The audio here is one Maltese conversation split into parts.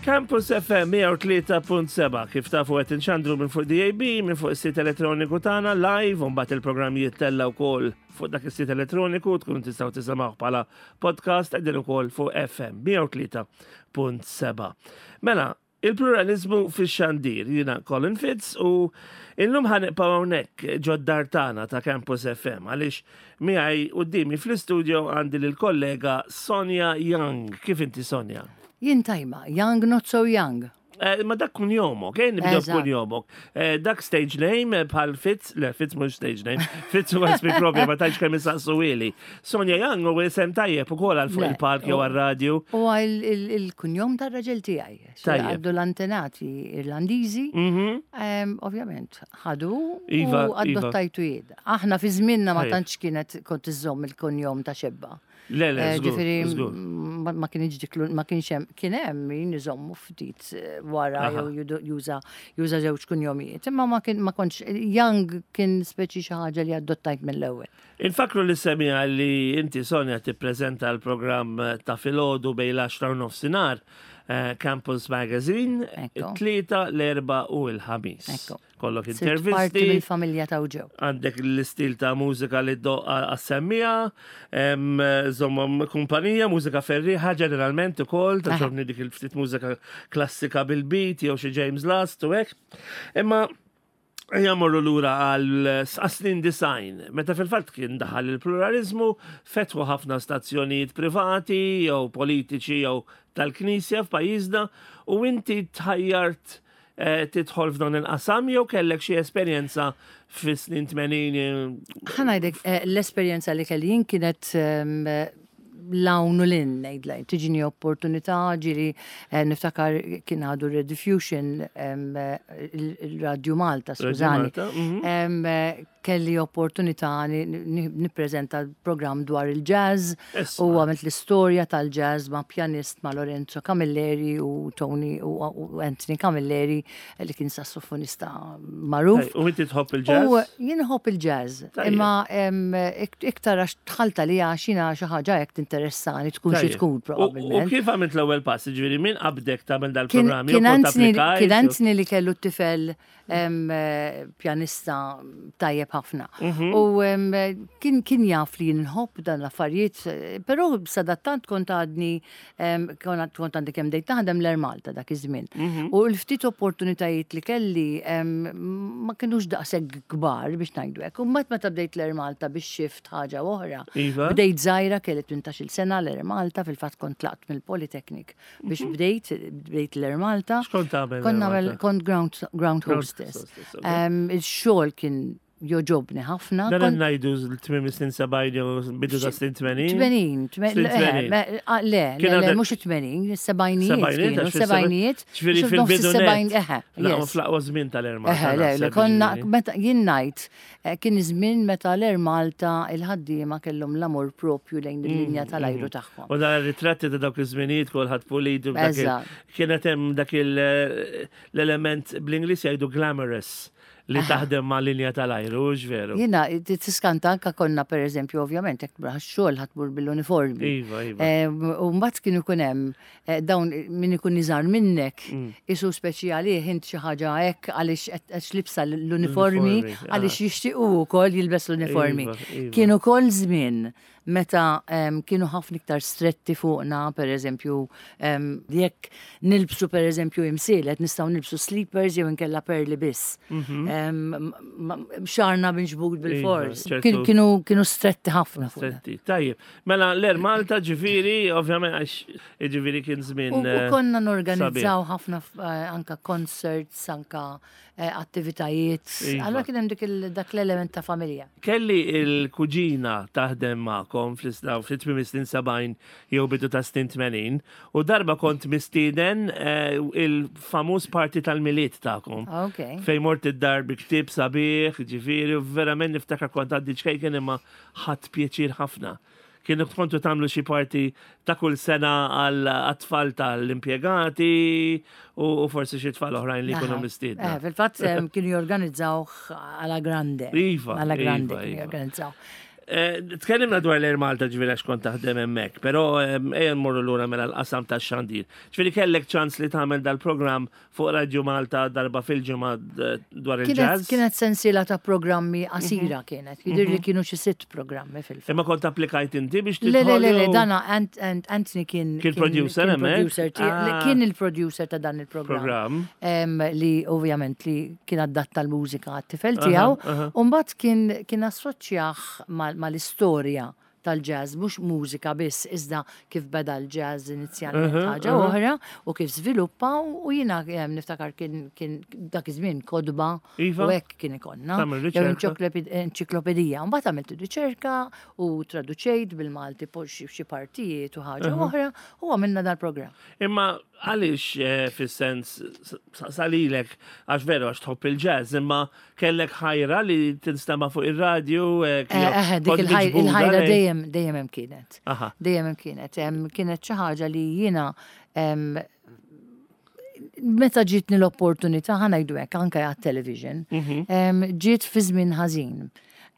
Campus FM 103.7 kif tafu qed inxandru minn fuq DAB, minn fuq is-sit elettroniku tagħna live u mbagħad il-programm jittella wkoll fuq dak is-sit elettroniku tkunu tistgħu tisimgħu bħala podcast qegħdin ukoll fuq FM 103.7. Mela, il-pluralizmu fix-xandir jiena Colin Fitz u illum ħanibqgħu hawnhekk ġod-dar tagħna ta' Campus FM għaliex miegħi qudiemi fl-istudio għandi lill-kollega Sonja Young. Kif inti Sonja? Jien tajba, young not so young. Eh, ma dak kun jomok, eh, nibdew kun jomok. Eh, dak stage name eh, bħal Fitz, le Fitz mhux stage name, Fitz huwa ismi propju ma tantx kemm isaqsu ili. Sonja Young u isem tajjeb ukoll għal fuq il-park jew għar-radju. U il-kunjom tar-raġel tiegħi. Tajjeb. Għaddu l-antenati Irlandiżi, mhm. ovvjament, ħadu u iva, iva. adottajtu jien. Aħna fi żmienna ma tantx kienet kont iżżomm il-kunjom ta' xebba. Le, le, eh, Ġifieri ma kienx dik ma kienx hemm kien hemm min iżommu ftit eh, wara jew juża juża żewġ kunjomijiet. Imma ma kien ma kontx Young kien speċi xi ħaġa li adottajt mill-ewwel. Infakru li semija li inti Sonja tippreżenta l-programm ta' filgħodu bejn l-10 u nofsinhar eh, Campus Magazine, it-tlieta, l-erba' u l-ħamis. Kollok intervisti. Parti mill-familja ta' ġew. Għandek l-istil ta' mużika li doqqa għas-semmija, żommhom kumpanija, mużika ferriħa ġeneralment ukoll, ta' ġobni dik il-ftit mużika klassika bil-beat jew xi James Last u hekk. Imma Jamorru lura għal snin design, meta fil-fatt kien daħal il-pluralizmu, fetħu ħafna stazzjonijiet privati jew politiċi jew tal-Knisja f'pajjiżna u inti tħajjart Eh, tidħol f'dan il-qasam jew kellek xi esperjenza fis-snin 80? Ħanajdek, eh, l-esperjenza li kelli jien kienet ehm, l-hawn u l-in, ngħidlek, tiġini opportunità, ġiri eh, niftakar kien għadu Rediffusion, ehm, il-Radju Malta, skużani. Kelli opportunità nippreżenta programm dwar il-jazz u għamilt l-istorja tal-jazz ma' pjanist ma' Lorenzo Camilleri u Tony u Anthony Camilleri li kien sassofonista magħruf. U inti tħobb il-jazz? U jien nħobb il-jazz. Imma iktar għax dħalt għaliha għax jiena xi ħaġa hekk tinteressani tkun xi tkun probabbilment. U kif għamilt l-ewwel pass? Ġifieri min qabdek tagħmel dal-programm? Kien Anthony li kellu t-tifel pjanista tajjeb ħafna. Mhm. U kien kien jaf li nħobb dan l-affarijiet, però sadattant kont għadni kont għandi kemm dejt naħdem l-Air Malta dak iż-żmien. Mhm. U l-ftit opportunitajiet li kelli ma kienux daqshekk kbar biex ngħidu hekk. U mbagħad meta bdejt l-Air Malta biex xift ħaġa oħra. Iva. Bdejt żgħira kelli 18-il sena l-Air Malta fil-fatt kont tlaqt mill-Polytechnic. Biex mhm. bdejt, bdejt l-Air Malta. X'kont tagħmel? Kont nagħmel kont ground, ground hostess. Il-xogħol kien joġobni ħafna. Dan ngħidu l-tmiem snin 70 jew bidu ta' snin 80. 80, le, le, mhux 80, sebgħinijiet. Sebgħinijiet. Ġifieri fil-bidu. Eħe. Fl-aqwa żmien tal-Air Malta. Eħe, le, konna meta jien ngħid Eh, kien iż-żmien meta l-Air Malta il-ħaddiema kellhom l-amor propju lejn il-linja mm, tal-ajru mm. tagħhom. U dan ritratti ta' dawk iż-żminijiet kulħadd pulit kienet hemm dak l-element bl-Ingliż jgħidu glamorous li taħdem ma' linja tal-ajru, veru. Jena, tiskanta anka konna per eżempju, ovvjament, jekk xogħol ħatmur bil-uniformi. Iva, iva. Eh, u mbagħad kienu ikun hemm Eh, dawn min ikun iżgħar minnek, mm. isu speċi għalih int xi ħaġa hekk għaliex qed libsa l-uniformi, għaliex jixtiequ wkoll jilbes l-uniformi. Iva, iva. Kien ukoll żmien meta kienu ħafna iktar stretti fuqna, per eżempju, jekk nilbsu per eżempju imsielet, nistgħu nilbsu sleepers jew inkella perli biss. Mhm. Xarna binġbud iva, bil-fors. Kienu stretti ħafna. Stretti, tajjeb. Mela l-Air Malta ġifieri, ovvjament għax ġifieri kien żmien. U eh, konna norganizzaw ħafna eh, anka concerts, anka eh, attivitajiet. Iva. Allora kien hemm dik dak l-element ta' familja. Kelli il-kuġina taħdem magħkom fl-isna fl-tmiem snin 70 jew bidu ta' snin 80 u darba kont mistieden il-famuż party tal-Milied tagħkom. Fejn mort id-dar bi ktieb sabiħ, ġifieri, u verament niftakar kont għaddi ċkejken imma ħadt pjaċir ħafna. Kienu kontu tagħmlu xi parti ta' kull sena għal tfal tal-impjegati u forsi xi tfal oħrajn li jkunu mistiedna. Eh, fil-fatt kienu jorganizzaw għala grande. Iva. Għala grande iva, kienu iva. jorganizzaw. Eh, tkellimna dwar l-Air Malta ġifieri għax kont taħdem hemmhekk, però ejja nmorru lura mela l-qasam tax-xandir. Ġifieri kellek ċans li tagħmel dal-programm fuq Radio Malta darba fil-ġimgħa dwar il-jazz. Kienet sensiela ta' programmi qasira mhm. kienet, jidir li mhm. kienu xi sitt programmi fil-fatt. Imma kont applikajt inti biex tidħol. Le, le, le, dana Anthony kien kien producer hemmhekk. Ah. Kien il-producer ta' dan il-programm. Li ovvjament li kien adatta l-mużika għat-tifel tiegħu, u mbagħad kien kien assoċjah mal-istorja tal-jazz, mhux mużika biss, iżda kif beda l-jazz inizjalment ħaġa oħra u kif żviluppa u jiena niftakar kien kien dak iż-żmien kotba iva. u hekk kien ikollna. Jew enċiklopedija. Mbagħad għamilt riċerka u traduċejt bil-Malti xi partijiet u ħaġa oħra u għamilna dal-programm. Imma għaliex eh, fis-sens salilek għax veru għax tħobb il-jazz, imma kellek ħajra li tinstema' fuq ir-radju. Eh, eh, dik il-ħajra dejjem dejjem hemm kienet. Dejjem hemm kienet. Kienet xi ħaġa li jiena meta ġietni l-opportunità ħanajdu hekk anke għat-television, mhm. ġiet fi żmien ħażin.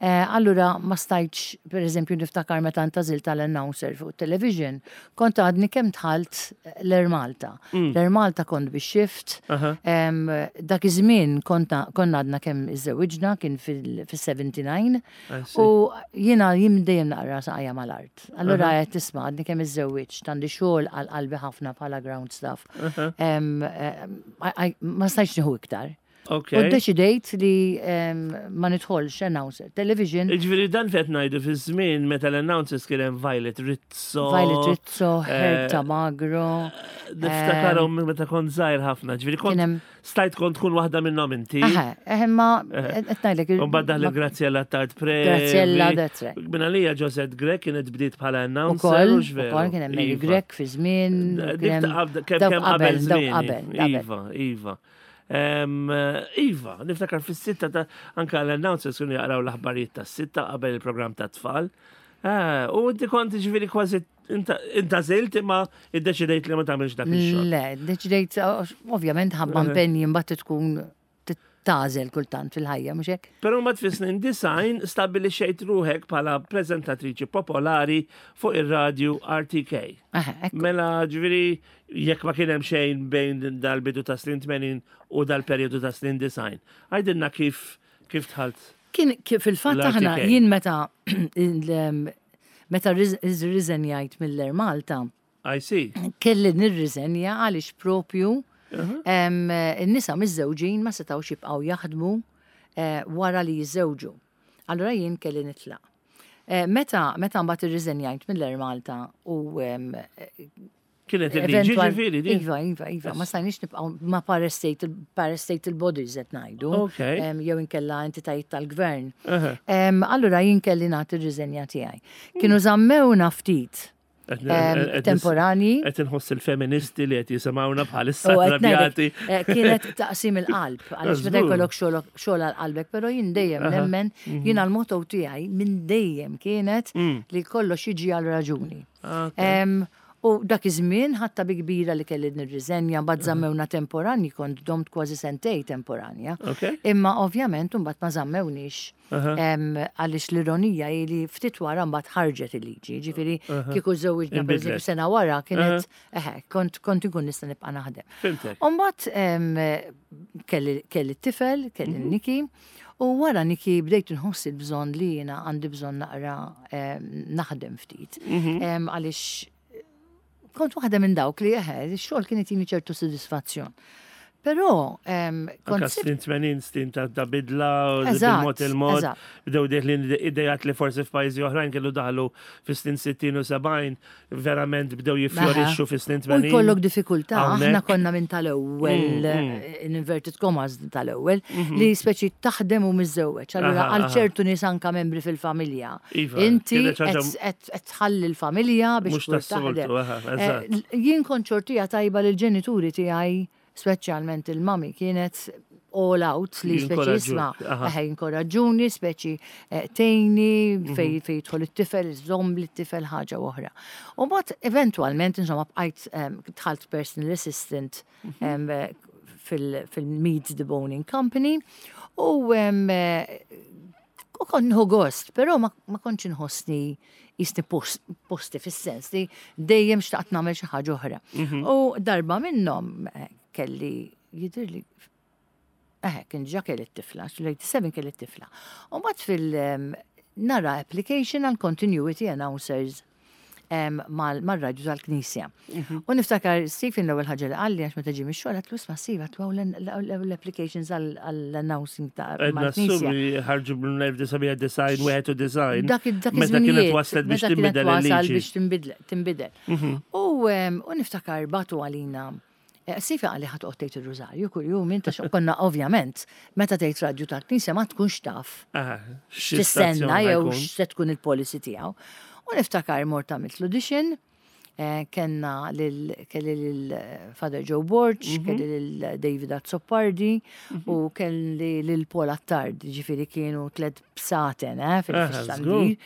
Eh, allura ma stajtx, per eżempju, niftakar meta ntażilt tal-announcer fuq television, kont għadni kemm dħalt l-Air Malta. Mm. L-Air Malta kont bi shift. Dak iż-żmien konna għadna kemm iżżewwiġna kien fil-79 u jiena jien dejjem naqra saqajja mal-art. Allura qed tisma' għadni kemm iżżewwiġt, għandi xogħol għal qalbi ħafna bħala ground staff. Eh, ma stajtx nieħu iktar. Okay. U ddeċidejt li ma nidħolx announcer. Television. Ġifieri dan fet ngħidu fi żmien meta l-announcers kien hemm Violet Rizzo. Violet Rizzo, eh, Herta Magro. Niftakarhom meta kont żgħir ħafna. Ġifieri kont stajt kont tkun waħda minnhom inti. Eħe, eh, ma eh, qed ngħidlek. U mbagħad daħlet Graziella Tard Pre. Graziella that's right. Minn għalija Josette Grech kienet bdiet bħala announcer. Ukoll kien hemm Mary iva. Grech fi żmien. Kemm qabel żmien. Iva, iva. Iva, niftakar fis-sitta ta' anka l-announcers kienu jaqraw l-aħbarijiet tas-sitta qabel il-programm ta' tfal. Eh, u inti kont ġifieri kważi intażilt imma iddeċidejt li ma tagħmilx dak ix-xogħol. Le, deċidejt ovvjament ħabba eh. impenji mbagħad tkun tagħżel kultant fil-ħajja, mhux hekk? Però mbagħad fis-snin design stabbilixxejt ruħek bħala preżentatriċi popolari fuq ir-radju RTK. Mela ġifieri Jekk ma kien hemm xejn bejn dal-bidu ta' snin 80 u dal-perjodu ta' snin 90. Għidilna kif kif dħalt. Kien fil-fatt aħna jien meta meta rriżenjajt mill-Air Malta. I see. Kelli nirriżenja għaliex propju in-nisa miżżewġin ma setgħux jibqgħu jaħdmu eh, wara li jiżżewġu. Allura jien kelli nitlaq. Eh, meta meta mbagħad irriżenjajt mill-Air Malta u Kienet il-liġi ġifieri din. Iva, iva, iva, ma stajniex nibqgħu ma parastatal parastatal bodies qed ngħidu. Jew inkella entitajiet tal-gvern. Allura jien kelli nagħti r-riżenja tiegħi. Kienu żammewna ftit temporani. Qed inħoss il-feministi li qed jisimgħuna bħalissa trabjati. Eh, kienet taqsim il-qalb, għaliex meta jkollok xogħol għal qalbek, però jien dejjem nemmen, mhm. jien għal-motto tiegħi minn dejjem kienet mm. li kollox jiġi għal raġuni. U dak iż-żmien ħadtha bi kbira li kelli nirriżenja, mbagħad żammewna temporanji, kont domt kważi sentej temporanja. Imma ovvjament imbagħad ma żammewniex għaliex l-ironija hi li ftit wara mbagħad ħarġet il-liġi, ġifieri kieku żewwiġna pereżempju sena wara kienet eħe, kont kont inkun nista' nibqa' naħdem. U mbagħad kelli t-tifel, kelli Niki, U wara Niki bdejt inħoss il-bżonn li jiena għandi bżonn naqra naħdem ftit. Mhm. Għaliex kont waħda minn dawk li eħe, x-xogħol kien itini ċertu sodisfazzjon. Però kont snin 80 snin ta' bidla bil-mod il-mod bdew deħlin idejat li forsi f'pajjiżi oħrajn kienu daħlu fis-snin 60 u 70 verament bdew jiffjorixxu fis-snin 80. U jkollok diffikultà, aħna konna minn tal-ewwel, mm, mm. in inverted commas tal-ewwel, mhm. li speċi taħdem u miżżewweġ. Allura għal ċertu nies anka membri fil-familja. Iva, Inti qed tħalli l-familja biex taħdem. Eh, jien kont ċortija tajba lill-ġenituri tiegħi speċjalment il-mami kienet all out li speċi jisma' eħe jinkoraġġuni, speċi eh, tejni mhm. fej fej jidħol it-tifel, iżomm li t-tifel ħaġa oħra. U mbagħad eventwalment insomma bqajt dħalt personal assistant mhm. fil-Meet the Boning Company u eh, U kont nieħu gost, però ma, ma kontx inħossni jisni posti fis-sens li dejjem xtaqt nagħmel xi ħaġa oħra. U darba minnhom eh, kelli jidhirli eh, kien ġa kelli t-tifla, l-87 kelli t-tifla. U mbagħad fil nara application għal continuity announcers mal-radju tal-Knisja. U niftakar Stephen l-ewwel ħaġa li qalli għax meta ġie mix-xogħol għatlu isma' Steve għatlu l-applications għall-announcing ta' mal-Knisja. ħarġu bl-1991 wieħed u design. Dak dak Meta kienet waslet biex tinbidel il-liġi. biex tinbidel. U niftakar bagħtu għalina eh, Sifa għalli ħat tgħid ir-rużarju kuljum inta konna ovvjament meta tgħid radju tal-Knisja ma tkunx taf x'tistenna jew x'se tkun il-policy tiegħu. U niftakar mort għamilt l-audition, eh, kellna lil kelli lil eh, Father Joe Borg, kelli lil David Azzopardi u kelli lil Paul Attard, ġifieri kienu tlet bsaten eh, fil-xandir.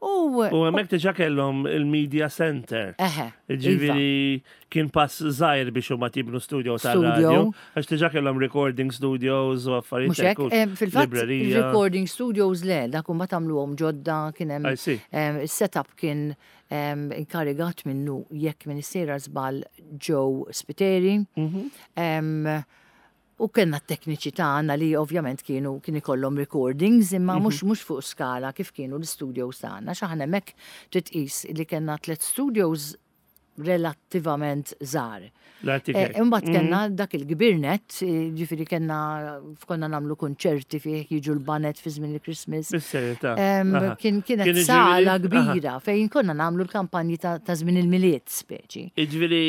U U hemmhekk diġà kellhom il-media center. eħe, iva. Ġifieri kien pass żgħir biex huma tibnu studio tal-radio. Għax diġà kellhom recording studios u affarijiet. Mhux hekk, hekk, u eh, fil-fatt librerija. recording studios le, dak huma tagħmluhom ġodda kien hemm I see. Is-setup kien inkarigat minnu jekk minn sejra żball Joe Spiteri. U kellna t-tekniċi tagħna li ovvjament kienu kien ikollhom recordings imma mhux mhux fuq skala kif kienu l-studios tagħna. X'aħna hemmhekk trid tqis li kellna tliet studios relattivament żgħar. L-RTK. Eh, Imbagħad kellna dak il-kbir net, eh, ġifieri kellna konna nagħmlu kunċerti fih jiġu l-baned fi żmien il-Christmas. Bis-serjetà. Em, Aha. Kien kienet Kien sala jiġifieri- kbira fejn konna nagħmlu l-kampanji ta' ta' żmien il-Milied speċi. Iġviri,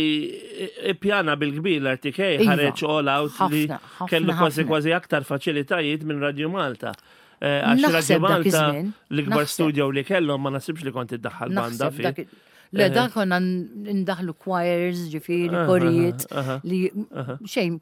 ippjana bil-kbir l-RTK Iva. ħareġ all out li Ħafna, ħafna, kellu kważi ħafna. kważi aktar faċilitajiet minn Radio Malta. Eh, Għax Radio Naħseb dak Malta iż-żmien, l-ikbar naħseb. studio li kellhom ma nasibx li kont iddaħħal banda Naħseb fi. dak Le, dak konna ndaħlu choirs, ġifieri, Aha, korijiet, aha, li xejn,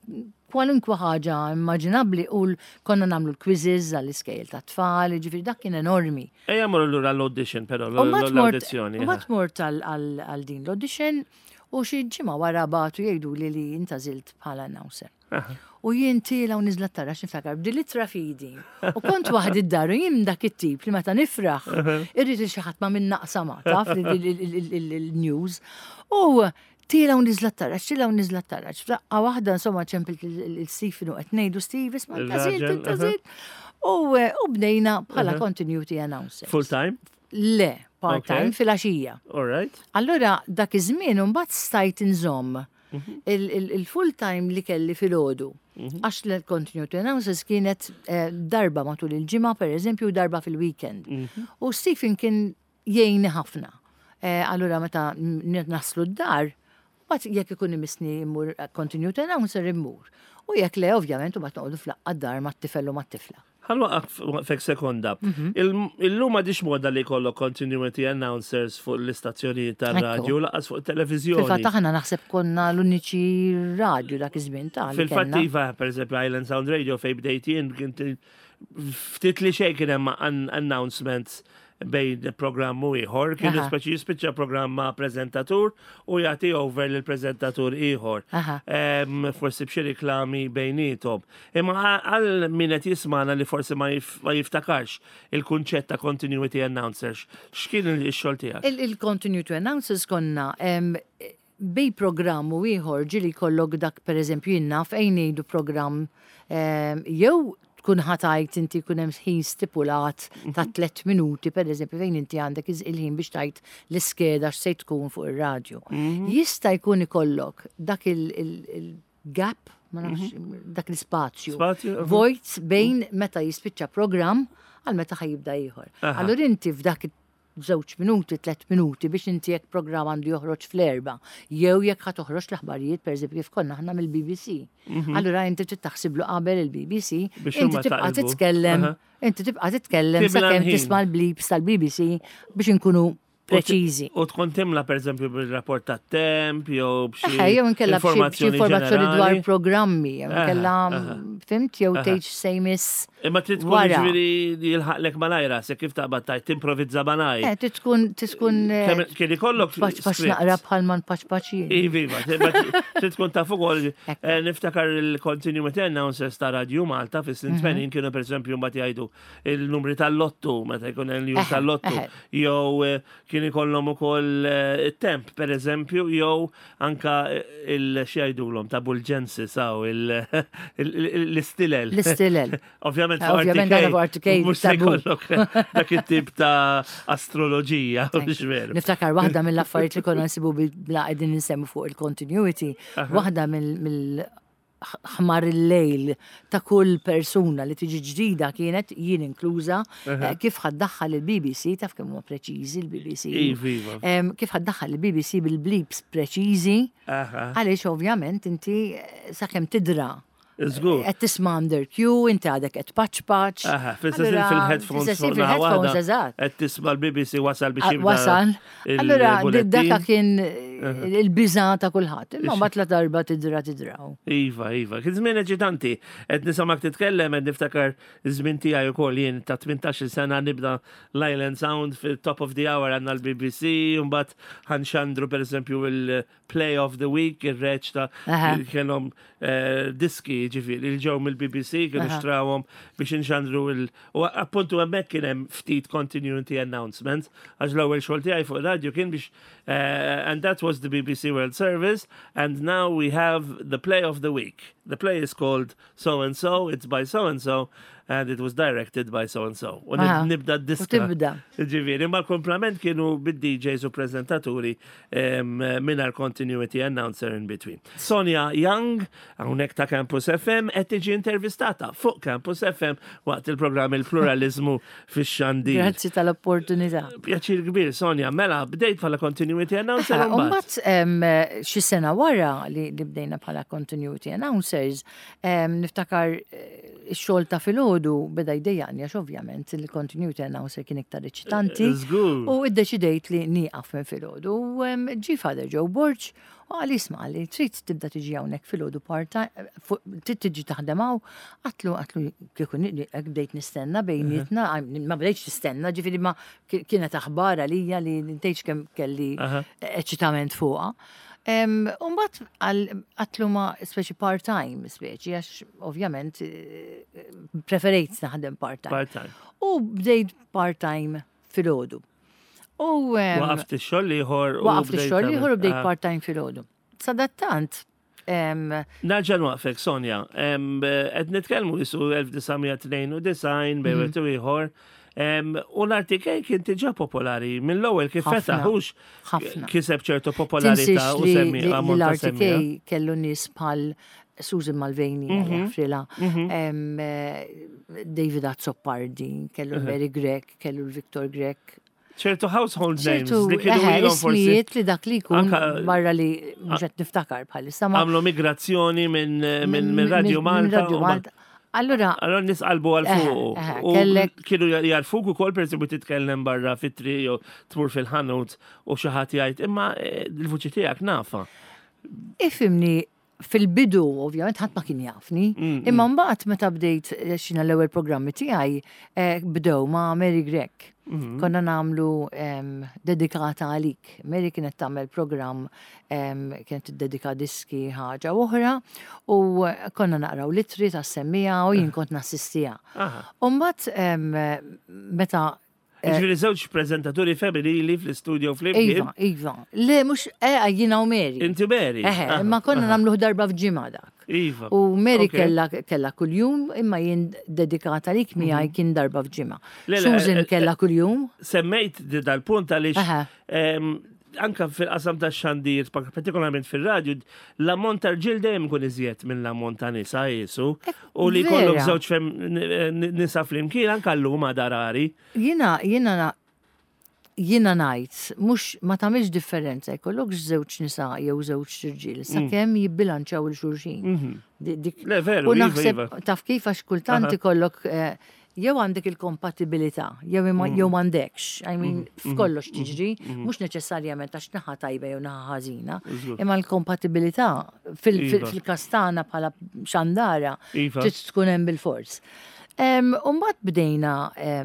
kwalunkwe ħaġa immaġinabbli u konna nagħmlu l-quizzes għall-iskejjel ta' tfal, ġifieri dak kien enormi. Ejja morru lura l-audition però, U mbagħad mort- l-audizzjoni. u mbagħad mort għal din l-audition u xi ġimgħa wara bagħtu jgħidu li li intgħażilt bħala announcer. U jien tiela u niżla t-taraġ niftakar b'dil ittra f'idi. U kont waħdi d-dar u jien dak it-tip li meta nifraħ irrid li xi ħadd ma minn naqsa ma taf il-news. U tiela u niżla t-taraġ, tiela u niżla t-taraġ. F'daqqa waħda insomma ċempilt il-Stephen u qed ngħidu Steve isma' intgħażilt, Il-raġel, intgħażilt. U eh, u bdejna bħala continuity announcer. Full time? Le, part-time Okay. fil-għaxija. All right. Allura dak iż-żmien imbagħad stajt inżomm il-full time li kelli filgħodu. Għax l-continuity announcers kienet eh, darba matul il-ġimgħa pereżempju u darba fil-weekend. U Stephen kien jgħinni ħafna. Eh, Allura meta naslu d-dar, mbagħad jekk ikun imissni immur continuity announcer immur. U jekk le ovvjament u mbagħad noqogħdu f'laqgħa d-dar mat-tifel u mat-tifla. Ħa nwaqqfek sekonda. Illum m'għadhiex moda li jkollok continuity announcers fuq l-istazzjonijiet tar-radju, lanqas fuq televizjoni. Fil-fatt aħna naħseb konna l-uniċi radju dak iż-żmien ta' li Fil-fatt kellna. iva, per eżempju, Island Sound Radio fej bdejt jien, kien ftit li xejn kien hemm announcements bejn programm u ieħor, kienu speċi jispiċċa programm ma' preżentatur u jagħti over lil preżentatur ieħor. Forsi b'xi riklami bejniethom. Imma għal min qed jismana li forsi ma jiftakarx il-kunċett ta' continuity announcers, x'kien ix-xogħol tiegħek? Il-continuity announcers konna bejn programm u ieħor ġieli jkollok dak per eżempju jien naf ejn ngħidu programm jew tkun ħa tgħid inti jkun hemm ħin stipulat ta' 3 minuti per eżempju fejn inti għandek il-ħin biex tgħid l-iskeda x'se tkun fuq ir-radju. Jista' jkun ikollok dak il-gap, ma nafx, dak l-ispazju. Spazju, aha. Vojt bejn meta jispiċċa programm għal meta ħa jibda ieħor. Allura inti f'dak żewġ minuti, 3 minuti biex inti jekk programm għandu joħroġ fl-4, jew jekk ħa toħroġ l-aħbarijiet, per eżempju, kif konna aħna mill-BBC. Allura inti trid taħsiblu qabel il-BBC, Biex inti huma tibqa' taqilbu. titkellem, inti tibqa' titkellem Tibla sakemm l-ħin. tisma' l-bleeps tal-BBC biex inkunu preċiżi. U tkun timla per eżempju bil-rapport ta' temp jew b'xi Jew inkella b'xi informazzjoni dwar programmi, jew inkella fimt jew tgħid se jmiss. Imma trid tkun ġifieri jilħaqlek malajra se kif taqbad tajt timprovizza malaj. Eh, trid tkun trid tkun eh, Kien ikollok paċ naqra bħal man paċ paċ Ivi, trid tkun taf ukoll eh, niftakar il-continuity announcers ta' Radio Malta fis-snin 80 mhm. kienu pereżempju mbagħad jgħidu il-numri tal-lottu, meta jkun hemm il-jum tal-lottu, jew eh, kien ikollhom ukoll eh, it-temp pereżempju, jew anka eh, il-xi jgħidulhom ta' bulġensi saw l-istilel. L-istilel. Ovvjament fuq RTK. Mhux se jkollok dak it-tip ta' astroloġija, mhux veru. Niftakar waħda mill-affarijiet li konna nsibu bla qegħdin insemmu fuq il-continuity, waħda mill ħmar il-lejl ta' kull persuna li tiġi ġdida kienet jien inkluża eh, kif ħaddaħħal il-BBC taf kemm huma preċiżi l-BBC. Iva, iva. Kif ħaddaħħal il-BBC bil-blips preċiżi għaliex ovvjament inti eh, sakemm tidra Żgur. Qed tisma' under cue, inti għadek qed paċ paċ. Aha, fil-headphones. Fil-headphones, eżatt. Qed tisma' l-BBC wasal biex ah, Wasal. Allura, daka kien il-biża ta' kulħadd. Imma mbagħad la darba tidra tidraw. Iva, iva. Kien żmien eċitanti. Qed nisimgħek titkellem qed niftakar iż-żmien tiegħi wkoll jien ta' 18-il sena nibda l-Island Sound fil-top of the hour għandna l-BBC, mbagħad ħanxandru pereżempju il-Play of the Week, ir-reċta kellhom eh, diski ġifieri li ġew mill-BBC kienu xtrawhom biex inxandru il- U appuntu hemmhekk kien hemm ftit continuity announcements għax l-ewwel xogħol tiegħi fuq radio kien biex eh, and that was the BBC World Service and now we have the play of the week. The play is called so and so, it's by so and so and it was directed by so and so. U nibda d-diska. Tibda. Ġifieri, ma l-komplament kienu bid-DJs u prezentaturi mingħajr continuity announcer in between. Sonia Young, hawnhekk ta' Campus FM, qed tiġi intervistata fuq Campus FM waqt il-programm Il-Pluralizmu fix-Xandir. Grazzi tal-opportunità. Pjaċir kbir, Sonia. Mela, bdejt bħala continuity announcer. Mbagħad xi sena wara li bdejna bħala continuity announcers, niftakar eh, ix-xogħol ta' filgħodu beda jdejjaqni għax ovvjament il-continuity announcer kien iktar eċitanti. Żgur. U iddeċidejt li nieqaf minn filgħodu. U ġie Father Joe Borg u qal isma' li trid tibda tiġi hawnhekk filgħodu part-time, trid tiġi taħdem hawn. Għatlu għatlu kieku hekk bdejt nistenna bejnietna, ma bdejtx nistenna, ġifieri ma kienet aħbar għalija li tgħidx kemm kelli eċitament fuqha. Umbat għatlu ma speċi part-time, speċi, għax ovvjament eh, preferejt naħdem part-time. Part-time. U bdejt part-time fil-ħodu. U waqaft ix-xogħol ieħor. Waqaft ix-xogħol ieħor u bdejt ah. part-time fil-ħodu. Sadattant, Nerġa' nwaqfek, Sonja. Qed nitkellmu jisu 1992 bejn wieħed u ieħor. U l-RTK kien diġà popolari mill-ewwel kif fetaħ hux kiseb ċertu popolarità u semmi L-RTK kellu nies bħal Susan Malveni, mhm. Frila, mhm. eh, David Azzopardi, kellu Mary Grech, kellu l-Victor Grech, ċertu household names li kienu ilhom forsi. Ismijiet li dak li jkun barra li mhux qed niftakar bħalissa. Għamlu migrazzjoni minn Radio Malta. Radio Malta. Allura. Allura nies qalbu għal fuq. U kienu jarfuk ukoll pereżempju titkellem barra fit-triq jew tmur fil-ħanut u xi ħadd jgħid imma eh, l-vuċi tiegħek nafa. Ifimni, fil-bidu, ovvjament, ħadd ma kien jafni. Mm, mm. Imma mbagħad meta bdejt eh, xina l-ewwel programmi tiegħi eh, bdew ma' Mary Grech. Mm-hmm. Konna nagħmlu dedikata għalik. Mary kienet tagħmel programm kienet tiddedika diski ħaġa oħra u konna naqraw litri tas-semmija u jien kont nassistija. U mbagħad meta Eh, Ġifieri żewġ preżentaturi femminili fl-istudio flimkien. Iva, iva. Le, mhux eh, jiena u Mary. Inti Mary. Eh, imma konna nagħmluh darba f'ġimgħa dak. Iva. U Mary kella kella kuljum, imma jien dedikata lik miegħi mhm. kien darba f'ġimgħa. Susan eh, kella kuljum. Semmejt dal-punt għaliex anka fil-qasam ta' xandir, partikolarment fil-radju, l-ammont ta' rġiel dejjem ikun iżjed minn l-ammont ta' nisa jisu. U li jkollok żewġ nisa flimkien anka llum għadha rari. Jiena jiena jiena ngħid mhux ma tagħmilx differenza jkollok żewġ nisa jew żewġ irġiel mm. sakemm jibbilanċaw il xulxin. Mhm. Le veru, U iva, naħseb iva. taf kif għax kultant ikollok eh, jew għandek il-kompatibilità, jew jew m'għandekx. I mean, f'kollox tiġri, mhux neċessarjament għax naħa tajba jew naħa ħażina, imma l-kompatibilità fil-każ tagħna bħala xandara trid tkun hemm bil-fors. Umbagħad bdejna,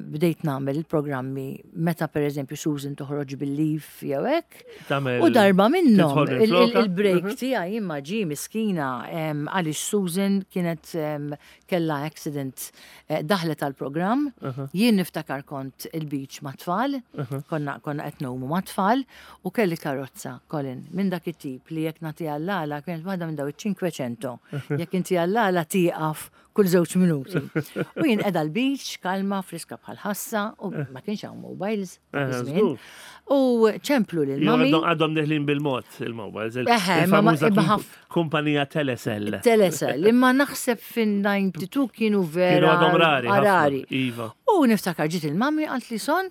bdejt nagħmel il-programmi meta pereżempju Susan toħroġ bil-leave jew hekk. U darba minnhom il-break tiegħi imma ġie miskina għaliex Susan kienet kellha accident daħlet għall-programm, jien niftakar kont il-beach mat-tfal, konna konna qed ngħumu mat-tfal u kelli karozza, Colin, minn dak it-tip li jekk nagħtiha l-għala kienet waħda minn daw iċ-Cinquecento. Jekk intiha l-għala tieqaf kull żewġ minuti. U jien qiegħda l-beach, kalma, friska bħal ħassa u ma kienx hawn mobiles. U ċemplu lil mami. Għadhom deħlin bil-mod il-mobiles. Il-famuża kumpanija Telecel. Telecel, imma naħseb fin-92 kienu vera. Kienu għadhom rari. Rari. Iva. U niftakar ġiet il-mami għalt li son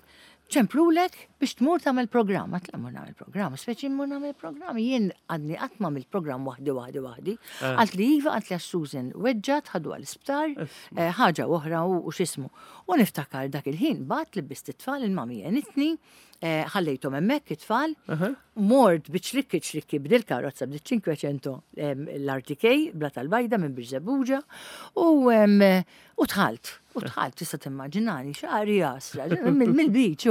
ċemplulek biex tmur tagħmel programm. Għat mur nagħmel programm, speċi mur nagħmel programm. Jien għadni qatt m'għamilt programm waħdi waħdi waħdi. Eh. Għalt li iva għalt li Susan weġġat ħadu għall-isptar, eh, ħaġa oħra u x'ismu. U niftakar dak il-ħin bat li bist it-tfal il-mami għenitni, eh, ħallejthom hemmhekk it-tfal, mort biċ-ċlikki ċlikki b'dil karozza b'dil 500 l-RTK bla tal-bajda minn Birżebbuġa u u dħalt, u dħalt tista' timmaġinani xagħri għasra mill-beach.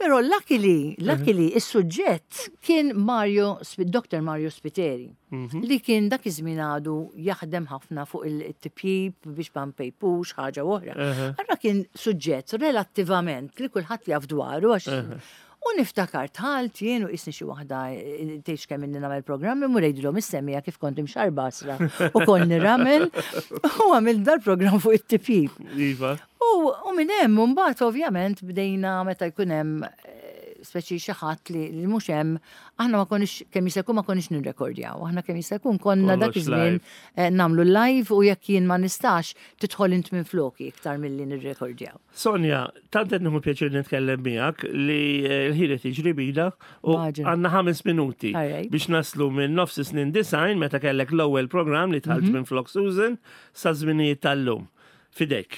Però luckily, luckily is-suġġett kien Mario, Dr. Mario Spiteri. Mhm. Li kien dak iż-żmien għadu jaħdem ħafna fuq il-tipjip biex ma npejpux ħaġa oħra. Allura kien suġġett relattivament li kulħadd jaf dwaru għax U niftakar tħalt jien u qisni xi waħda eh, tgħidx kemm inni nagħmel programmi mur ngħidilhom is-semija kif kont imxarba asra u kont nirramel u għamil dal-programm fuq it-tipjip. Iva. U, u minn hemm mbagħad ovvjament bdejna meta jkun hemm eh, speċi xi ħadd li, li mhux hemm aħna ma konniex kemm jista' jkun ma konniex nirrekordjaw, aħna kemm jista' jkun konna dak Kollox iż-żmien live. eh, nagħmlu live u jekk jien ma nistax tidħol int minn floki iktar milli nirrekordjaw. Sonja, tant qed nieħu pjaċir nitkellem miegħek li eh, l-ħin qed jiġri bina u Maġel. għandna ħames minuti Alright. biex naslu minn nofs snin design meta kellek l-ewwel programm li dħalt minn flok Susan sa żminijiet tal-lum. Fidejk.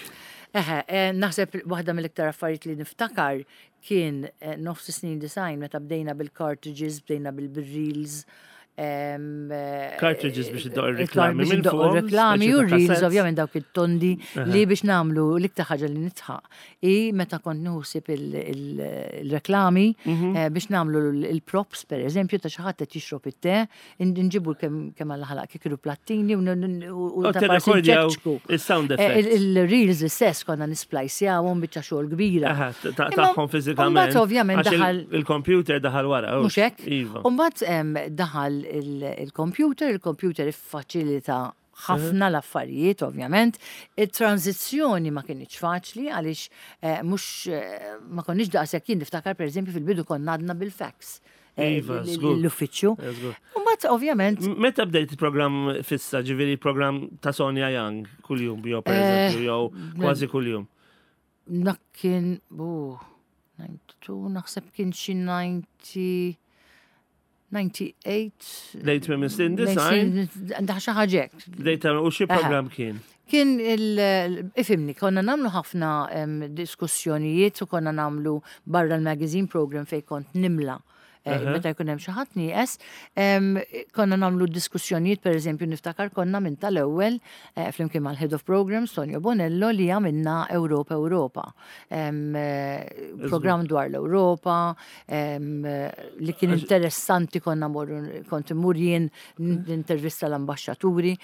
Eħe, eh, naħseb waħda mill-iktar affarijiet li niftakar kien eh, nofs snin design meta bdejna bil-cartridges, bdejna bil-reels. eh, Cartridges biex iddoq ir-reklami Biex minn iddoq fuqhom, ir-reklami speċi u ta' reels, cassettes. ovvjament dawk it-tondi li biex namlu l-iktar ħaġa li nitħaq i meta kont nuħsib il-reklami Mhm. eh, biex namlu il-props per eżempju ta' xi ħadd qed jixrob it-te, nġibu kemm kemm għal ħalaq kikiru plattini u U ta' parsi tirrekordjaw nċekċku. il-sound Eh, effects. Il-reels istess konna nisplajsjawhom biċċa xogħol kbira. Aha, Imma tagħhom fiżikament. mbagħad ovvjament Għax daħal- Il-computer daħal wara. Mhux hekk? Iva. U mbagħad em, daħal il-computer, il-computer iffaċilita ħafna l-affarijiet, ovvjament. Il-tranzizzjoni ma kienx faċli għaliex eh, mhux eh, ma konniex daqshekk jien niftakar pereżempju fil-bidu konna għadna bil-fax. eh, Iva, żgur. L-uffiċċju. Eh, żgur. U mbagħad ovvjament Meta bdejt il-programm fissa, ġifieri il-programm ta' Sonja Young kuljum, jew per Eh, eżempju, jew kważi kuljum. Dak kien, bu, 92, naħseb kien xi 90, 98. Lejt minn Snin Design, Daħ xi ħaġa hekk. bdejt tagħmel- u xi programm kien? Kien il, ifimni, konna namlu ħafna em, diskussjonijiet u konna namlu barra l-magazine program fej kont nimla. Eh, Meta jkun hemm xi ħadd nieqes, em, konna namlu diskussjonijiet, per eżempju, niftakar konna minn tal-ewwel eh, flimkien mal-Head of Programs Tonio Bonello li għamilna Europa Europa. Em, eh, Program dwar l-Ewropa, em, eh, li kien interessanti konna morru kont immur jien nintervista l-ambaxxaturi.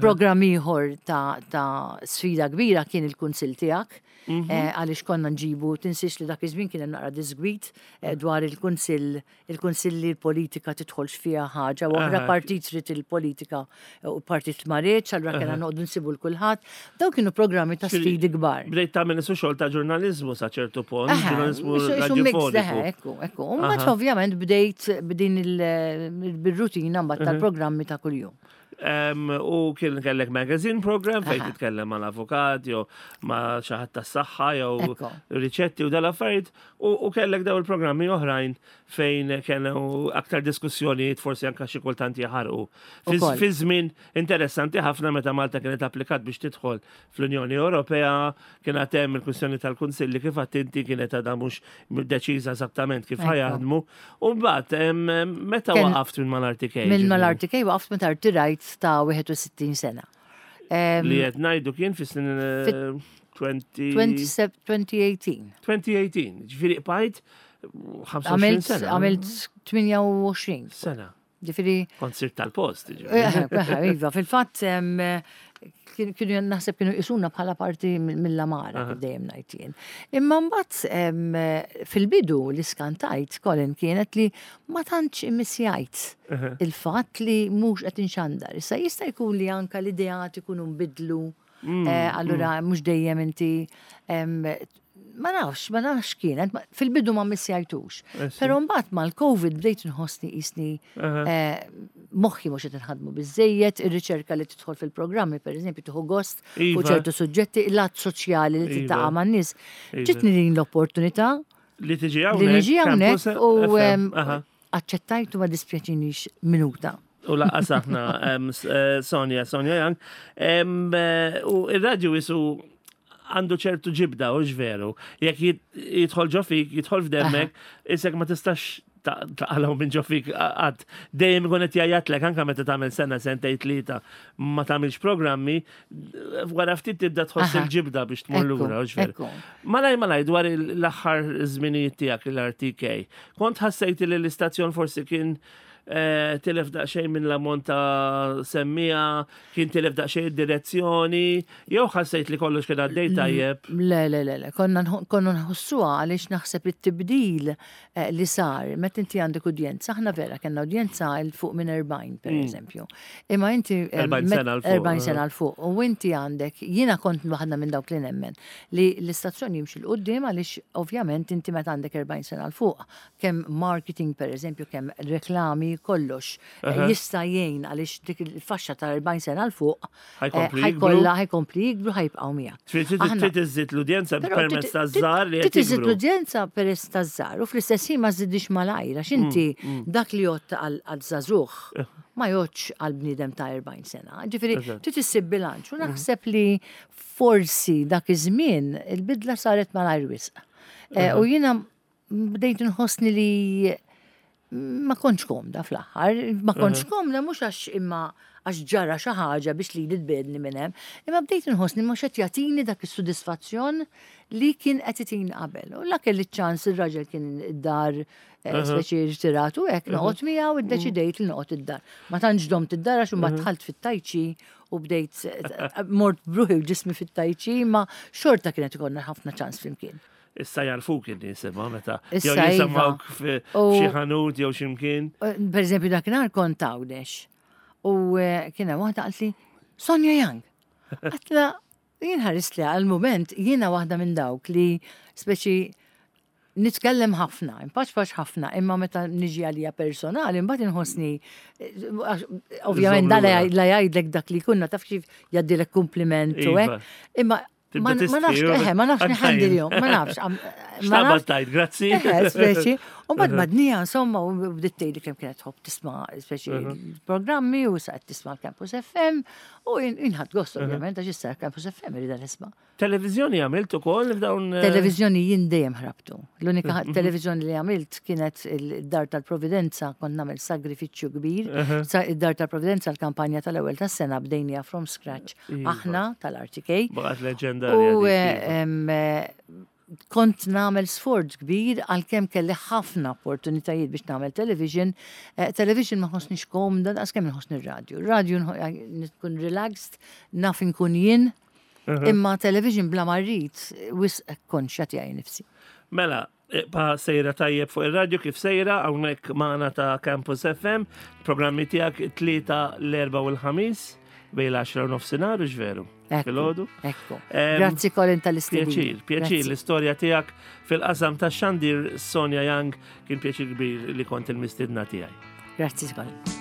Program ieħor ta', ta sfida kbira kien il-kunsill tiegħek. eh, Għaliex konna nġibu, tinsiex li dak iż-żmien kien hemm naqra disgwit eh, dwar il-kunsill, il-kunsill li l-politika tidħolx fiha ħaġa, u oħra Aha. partit trid il-politika eh, u partit ma riedx, allura kellna noqogħdu nsibu l kulħadd. Dawn kienu programmi ta' sfidi kbar. Bdejt tagħmel isu xogħol ta' ġurnaliżmu sa ċertu punt, Aha, ġurnaliżmu isu- isu mix, radiofoniku. eħe, Ekku, ekku. U mbagħad ovvjament bdejt b'din il- bil-rutina mbagħad tal-programmi ta' kuljum. U kien kellek magazine program fejn titkellem mal-avukat jew ma' xi ħadd tas-saħħa jew riċetti u dal-affarijiet u kellek daw il-programmi oħrajn fejn kienu aktar diskussjonijiet forsi anka xi kultant jaħarqu. Fi żmien interessanti ħafna meta Malta kienet applikat biex tidħol fl-Unjoni Ewropea, kien għad hemm il-kwistjoni tal-Kunsilli kif għedt inti kienet għadha mhux deċiża eżattament kif ħa jaħdmu. U mbagħad meta waqaft minn mal-RTK? Minn mal-RTK waqaft meta rtirajt ta' 61 sena. Li qed ngħidu kien fis-snin 2018. 2018, ġifieri qbajt 25 sena. Għamilt 28 sena. Ġifieri. Kont sirt tal-post. Eh, eh, iva, fil-fatt kienu naħseb kienu jisuna bħala parti mill-amara kif dejjem ngħid jien. Imma mbagħad fil-bidu li skantajt Colin kienet li ma tantx immissjajt il-fatt li mhux qed inxandar. Issa jista' jkun li anka l-ideat ikunu nbidlu. Eh, allura mhux dejjem inti ma nafx, ma nafx kienet, fil-bidu ma missjajtux. Eh, Pero mbagħad mal-Covid bdejt nħossni qisni eh, moħħi mhux qed inħadmu biżejjed, ir-riċerka li tidħol fil-programmi pereżempju tieħu gost fuq iva. ċertu suġġetti, l-att soċjali li tiltaqa' iva. man-nies. Iva. Ġitni din l-opportunità li tiġi hawnhekk. Li niġi hawnhekk u aċċettajtu ma dispjaċinix minuta. U laqqas aħna eh, Sonja, Sonja Young. Eh, u il-radju jisu għandu ċertu ġibda u veru. Jekk jidħol ġo fik, jidħol f'demmek, isek ma tistax taqalgħu minn ġo fik għad. Dejjem ikun qed jgħajjatlek anke meta tagħmel sena, sentejn tlieta ma tagħmilx programmi, wara ftit tibda tħoss il-ġibda biex tmur lura, veru. Malaj malaj dwar l-aħħar żminijiet tiegħek l-RTK. Kont ħassejt li l-istazzjon forsi kien eh, tilef daqsxejn minn l-ammont ta' semmija, kien tilef daqsxejn id-direzzjoni, jew ħassejt li kollox kien għaddej tajjeb? Le, le, le, le, konna nħossuha għaliex naħseb it-tibdil Eh, li sar, meta inti għandek udjenza, aħna vera kellna udjenza il fuq minn 40 per eżempju. Imma inti 40 eh, sena l fuq. 40 sena l fuq. U inti għandek, jiena kont waħda minn dawk li nemmen li l-istazzjon jimxi l qudiem għaliex ovvjament inti meta għandek 40 sena l fuq, kemm marketing per eżempju, kemm reklami, kollox eh, jista' jgħin għaliex dik il-faxxa ta' 40 sena l fuq ħajkollha ħajkompli jikbru ħajbqgħu miegħek. Trid iżżid l-udjenza permezz taż-żgħar li Trid iżżid l-udjenza peress taż-żgħar u fl-istess ħin ma żżidix malajr għax inti mm, mm. dak li jgħodd għal żagħżugħ eh. ma jgħoddx għal bniedem ta' 40 sena. Ġifieri trid issib bilanċ u mm. naħseb li forsi dak iż-żmien il-bidla saret malajr wisq. Eh, u jiena bdejt nħossni li ma kontx komda fl-aħħar, ma kontx komda mhux għax imma għax ġara xi ħaġa biex li tbedni minn hemm, imma bdejt nħossni mhux qed jagħtini dak is-sodisfazzjon li kien qed itini qabel. U la kelli ċans ir-raġel kien id-dar eh, speċi rtirat u hekk noqgħod miegħu iddeċidejt li noqgħod id-dar. Ma tantx domt id-dar għax imbagħad dħalt fit-tajċi u bdejt eh, mort bruħi u ġismi fit-tajċi, ma xorta kienet ikollna ħafna ċans flimkien. Issa jarfuk in-nies imma meta jew iva. jisimgħuk f'xi ħanut jew xi mkien. Eh, per eżempju dakinhar kont Għawdex u eh, kien hemm waħda qaltli Sonja Young. Għatla jien ħarist li għal-moment jiena waħda minn dawk li speċi nitkellem ħafna, impaċ ħafna, imma meta niġi għalija personali, mbagħad inħossni eh, ovvjament da la jgħidlek dak li kunna taf kif jgħaddilek kompliment u hekk, iva. imma Ma nafx, eħe, ma nafx nħandilhom, ma nafx. Ma nafx tajt, grazzi. Eħe, speċi. U bad madnija, insomma, u bdiet tgħidli kemm kienet tħobb tisma' speċi programmi u sa qed tisma' l-Campus FM u inħadd gost ovvjament għax issa Campus FM irida nisma'. Televiżjoni għamilt ukoll f'dawn. Eh, Televiżjoni jien dejjem ħrabtu. L-unika televiżjoni li għamilt kienet il-Dar tal-Providenza, kont nagħmel sagrifiċċju kbir. Id-Dar tal-Providenza l-kampanja tal-ewwel tas-sena bdejnija from scratch. Iva. Aħna tal-RTK. Baqgħet leġendarja. U eh, kont nagħmel sforz kbir għalkemm kelli ħafna opportunitajiet biex nagħmel television. Eh, television ma ħossniex komda daqs kemm inħossni r-radju. Radio nkun relaxed, naf inkun jien, imma television bla ma rrid wisq konxja tiegħi nifsi. Mela, Ibqa' sejra tajjeb fuq ir-radju kif sejra hawnhekk magħna ta' Campus FM, programmi tiegħek it-tlieta, l-erba' u l-ħamis bejn l-10 u nofsinhar u veru. Filgħodu. Ekku. Grazzi Colin tal-istedina. Pjaċir, pjaċir l-istorja tiegħek fil-qasam tax-xandir Sonja Young kien pjaċir kbir li kont il-mistiedna tiegħi. Grazzi Colin.